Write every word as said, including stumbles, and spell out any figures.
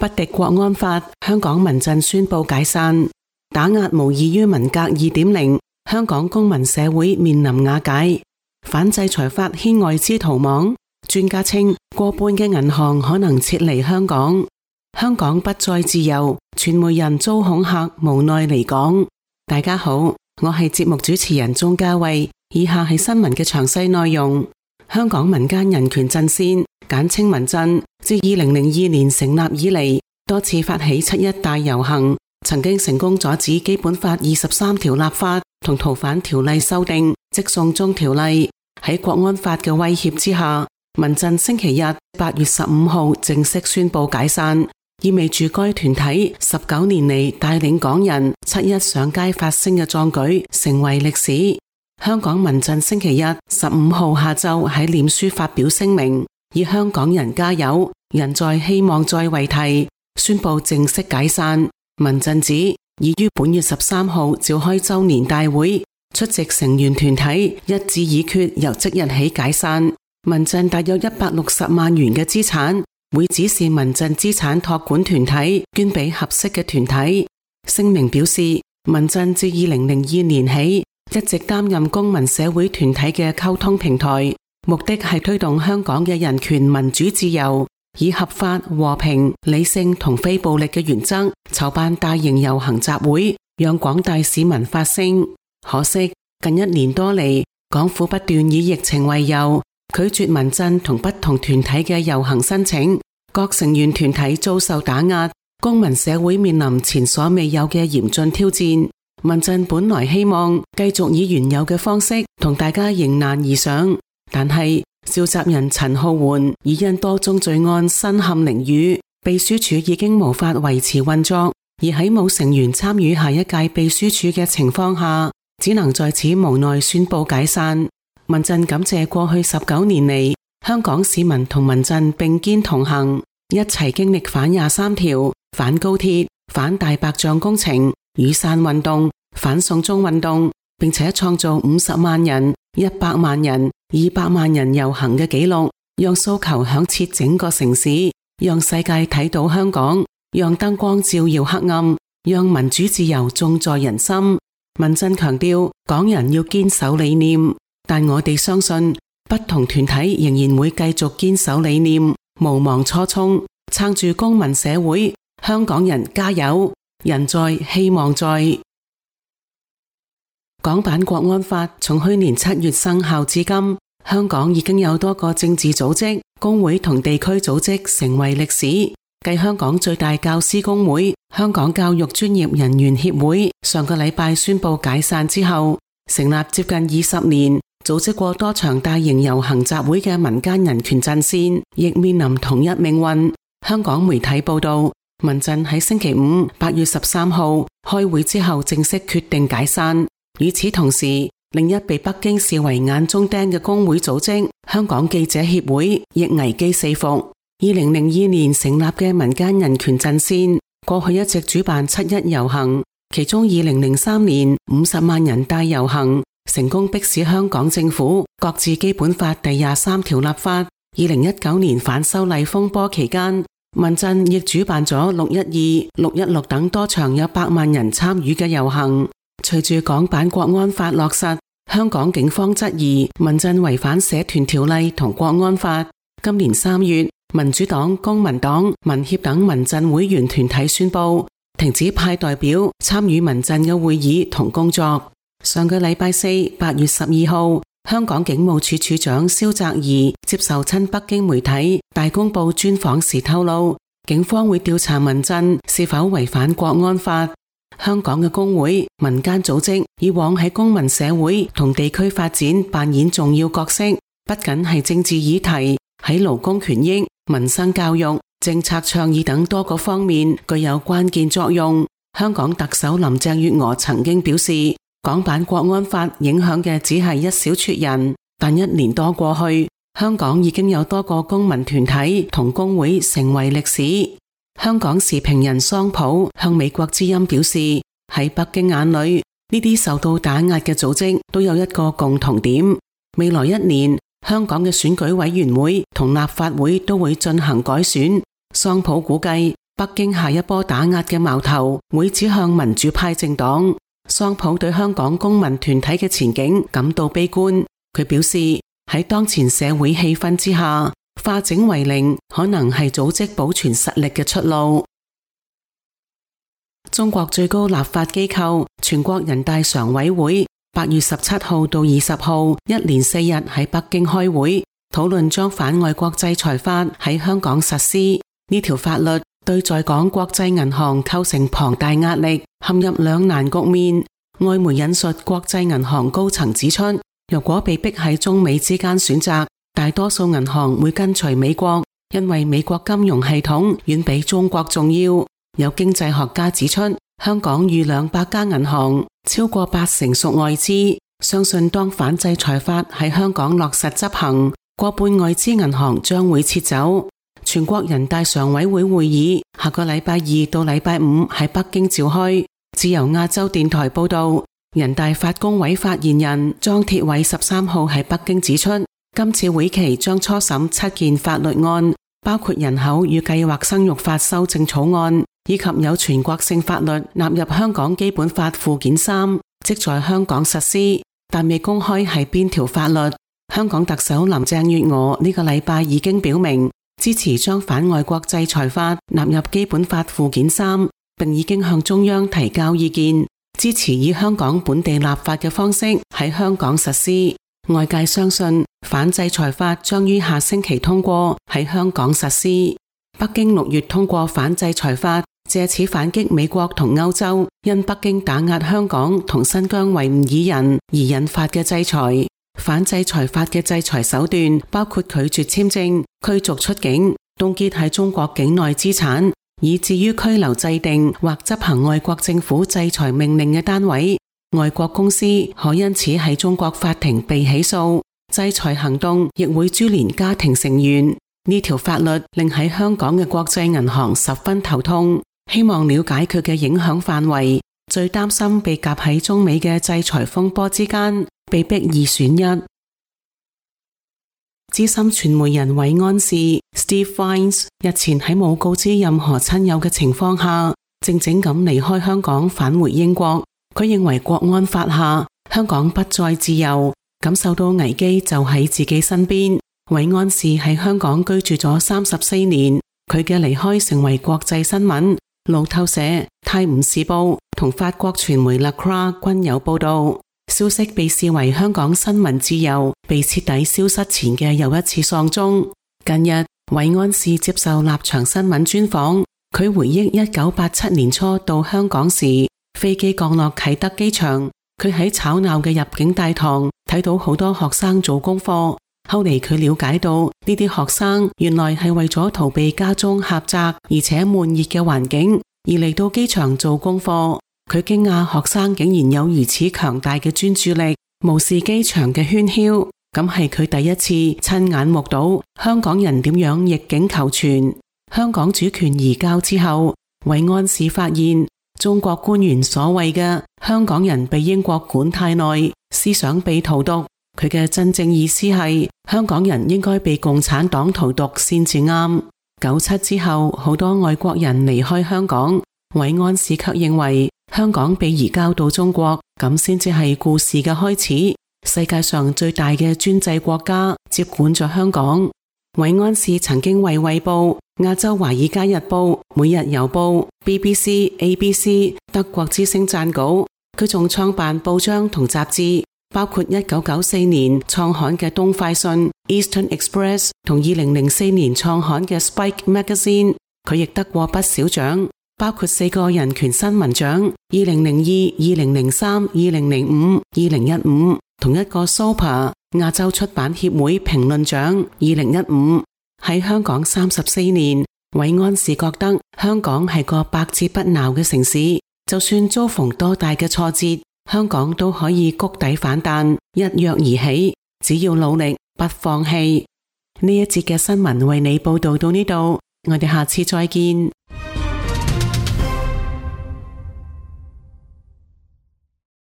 不敵國安法，香港民陣宣布解散。打壓無異於文革 二點零， 香港公民社會面臨瓦解。反制裁法牽外資逃亡，專家稱過半嘅銀行可能撤離香港。香港不再自由，傳媒人遭恐嚇，無奈離港。大家好，我係節目主持人鍾嘉慧，以下係新聞嘅詳細內容。香港民間人權陣線簡稱民陣，自二零零二年成立以嚟，多次發起七一大遊行，曾經成功阻止基本法二十三條立法同逃犯條例修訂，即送中條例。喺國安法嘅威脅之下，民陣星期日八月十五號正式宣布解散，意味住該團體十九年嚟帶領港人七一上街發聲嘅壯舉成為歷史。香港民陣星期日十五號下晝喺臉書發表聲明，以香港人加油，人在希望在為題，宣布正式解散。民陣指已於本月十三號召開周年大會，出席成員團體一致議決由即日起解散。民陣大約一百六十萬元嘅資產會指示民陣資產託管團體捐俾合適嘅團體。聲明表示，民陣自二零零二年起一直擔任公民社會團體嘅溝通平台，目的係推動香港嘅人權民主自由，以合法、和平、理性同非暴力嘅原則籌辦大型遊行集會，讓廣大市民發聲。可惜近一年多嚟，港府不斷以疫情為由，拒絕民陣同不同團體嘅遊行申請，各成員團體遭受打壓，公民社會面臨前所未有嘅嚴峻挑戰。民陣本來希望繼續以原有嘅方式同大家迎難而上，但係召集人陳浩桓已因多宗罪案身陷囹圄，秘書處已經無法維持運作，而喺冇成員參與下一屆秘書處嘅情況下，只能在此無奈宣布解散。民陣感謝過去十九年嚟，香港市民同民陣並肩同行，一齊經歷反廿三條、反高鐵、反大白象工程、雨傘運動、反送中運動，並且創造五十萬人、一百萬人、二百萬人遊行嘅紀錄，讓訴求響徹整個城市，讓世界睇到香港，讓燈光照耀黑暗，讓民主自由種在人心。民陣強調，港人要堅守理念，但我哋相信不同團體仍然會繼續堅守理念，無忘初衷，撐住公民社會。香港人加油，人在希望在。港版國安法從去年七月生效至今，香港已經有多個政治組織、工會同地區組織成為歷史。繼香港最大教師工會、香港教育專業人員協會上個禮拜宣布解散之後，成立接近二十年、組織過多場大型遊行集會嘅民間人權陣線，亦面臨同一命運。香港媒體報道，民陣喺星期五八月十三號開會之後正式決定解散。與此同時，另一被北京視為眼中釘嘅工會組織香港記者協會亦危機四伏。二零零二年成立嘅民間人權陣線過去一直主辦七一遊行，其中二零零三年五十萬人大遊行成功迫使香港政府擱置基本法第廿三條立法。二零一九年反修例風波期間，民陣亦主辦咗六一二、六一六等多場有百萬人參與嘅遊行。隨住港版國安法落實，香港警方質疑民陣違反社團條例同國安法。今年三月，民主黨、公民黨、民協等民陣會員團體宣布停止派代表參與民陣嘅會議同工作。上個禮拜四，八月十二號，香港警務處處長蕭澤頤接受親北京媒體大公報專訪時透露，警方會調查民陣是否違反國安法。香港嘅工會、民間組織以往喺公民社會同地區發展扮演重要角色，不僅係政治議題，喺勞工權益、民生教育、政策倡議等多個方面具有關鍵作用。香港特首林鄭月娥曾經表示，港版國安法影響嘅只係一小撮人，但一年多過去，香港已經有多個公民團體同工會成為歷史。香港時評人桑普向美國之音表示，喺北京眼裏，呢啲受到打壓嘅組織都有一個共同點，未來一年香港嘅選舉委員會同立法會都會進行改選。桑普估計北京下一波打壓嘅矛頭會指向民主派政黨。桑普對香港公民團體嘅前景感到悲觀，佢表示喺當前社會氣氛之下，化整為零可能係組織保存實力嘅出路。中國最高立法機構全國人大常委會八月十七號到二十號一連四日喺北京開會，討論將反外國制裁法喺香港實施。呢條法律對在港國際銀行構成龐大壓力，陷入兩難局面。外媒引述國際銀行高層指出，如果被逼喺中美之間選擇，大多數銀行會跟隨美國，因為美國金融系統遠比中國重要。有經濟學家指出，香港逾兩百家銀行，超過八成屬外資，相信當反制裁法喺香港落實執行，過半外資銀行將會撤走。全國人大常委會會議下個禮拜二到禮拜五喺北京召開。自由亞洲電台報道，人大法工委發言人莊鐵偉十三號喺北京指出，今次會期將初審七件法律案，包括人口與計劃生育法修正草案，以及有全國性法律納入香港基本法附件三，即在香港實施，但未公開係邊條法律。香港特首林鄭月娥呢個禮拜已經表明支持將反外國制裁法納入基本法附件三，並已經向中央提交意見，支持以香港本地立法嘅方式喺香港實施。外界相信反制裁法將於下星期通過喺香港實施。北京六月通過反制裁法，借此反擊美國同歐洲因北京打壓香港同新疆維吾爾人而引發嘅制裁。反制裁法嘅制裁手段包括拒絕簽證、驅逐出境、凍結喺中國境內資產，以至於拘留制定或執行外國政府制裁命令嘅單位。外國公司可因此喺中國法庭被起訴，制裁行動亦會株連家庭成員。呢條法律令喺香港嘅國際銀行十分頭痛，希望了解佢嘅影響範圍，最擔心被夾喺中美嘅制裁風波之間，被逼二選一。資深傳媒人韋安士 Steve Vines 日前喺冇告知任何親友嘅情況下，靜靜咁離開香港返回英國。佢認為國安法下香港不再自由，感受到危機就喺自己身邊。韋安士喺香港居住咗三十四年，佢嘅離開成為國際新聞。路透社、泰晤士報同法國傳媒 La Croix 均有報道。消息被視為香港新聞自由被徹底消失前嘅又一次喪鐘。近日，韋安士接受立場新聞專訪，佢回憶一九八七年初到香港時，飛機降落啟德機場，佢喺吵鬧嘅入境大堂睇到好多學生做功課。後嚟佢了解到呢啲學生原來係為咗逃避家中狹窄而且悶熱嘅環境而嚟到機場做功課。佢驚訝學生竟然有如此強大嘅專注力，無視機場嘅喧囂。咁係佢第一次親眼目睹香港人點樣逆境求存。香港主權移交之後，韋安士發現中國官員所謂嘅香港人被英國管太耐，思想被荼毒，佢嘅真正意思係香港人應該被共產黨荼毒先至啱。九七之後，好多外國人離開香港，韋安士卻認為香港被移交到中國，咁先至係故事嘅開始。世界上最大嘅專制國家接管咗香港。韋安士曾經為衛報、亞洲華爾街日報、每日郵報、B B C、A B C、德國之聲撰稿。佢仲創辦報章同雜誌，包括一九九四年創刊嘅東快訊 Eastern Express 同二零零四年創刊嘅 Spike Magazine。佢亦得過不少獎，包括四個人權新聞獎，二零零二、二零零三、二零零五、二零一五，同一個 Super 亞洲出版協會評論獎，二零一五。喺香港三十四年，韋安士覺得香港係個百折不撓嘅城市，就算遭逢多大嘅挫折，香港都可以谷底反彈，一躍而起，只要努力，不放棄。呢一節嘅新聞為你報道到呢度，我哋下次再見。